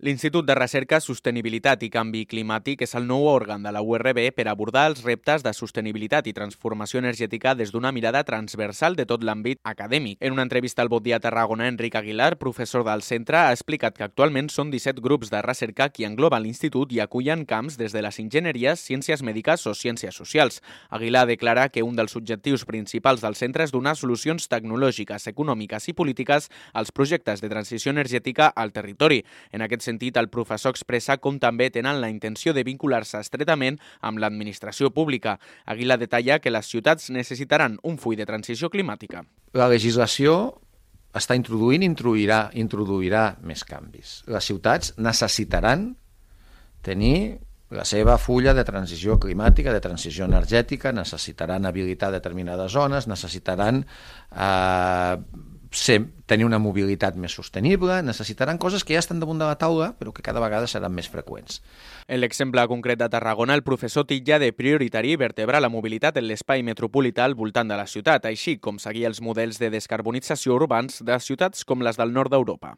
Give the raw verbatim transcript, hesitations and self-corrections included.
L'Institut de Recerca, Sostenibilitat i Canvi Climàtic és el nou òrgan de la U R B per abordar els reptes de sostenibilitat i transformació energètica des d'una mirada transversal de tot l'àmbit acadèmic. En una entrevista al Bon Dia Tarragona, Enric Aguilar, professor del centre, ha explicat que actualment són disset grups de recerca qui engloben l'institut i acullen camps des de les enginyeries, ciències mèdiques o ciències socials. Aguilar declara que un dels objectius principals del centre és donar solucions tecnològiques, econòmiques i polítiques als projectes de transició energètica al territori. En aquest sentit, el professor expressa com també tenen la intenció de vincular-se estretament amb l'administració pública. Aguilar detalla que les ciutats necessitaran un full de transició climàtica. La legislació està introduint i introduirà, introduirà més canvis. Les ciutats necessitaran tenir la seva fulla de transició climàtica, de transició energètica, necessitaran habilitar determinades zones, necessitaran eh, ser, tenir una mobilitat més sostenible, necessitaran coses que ja estan damunt de la taula, però que cada vegada seran més freqüents. En l'exemple concret de Tarragona, el professor titlla de prioritari vertebrar la mobilitat en l'espai metropolità al voltant de la ciutat, així com seguir els models de descarbonització urbans de ciutats com les del nord d'Europa.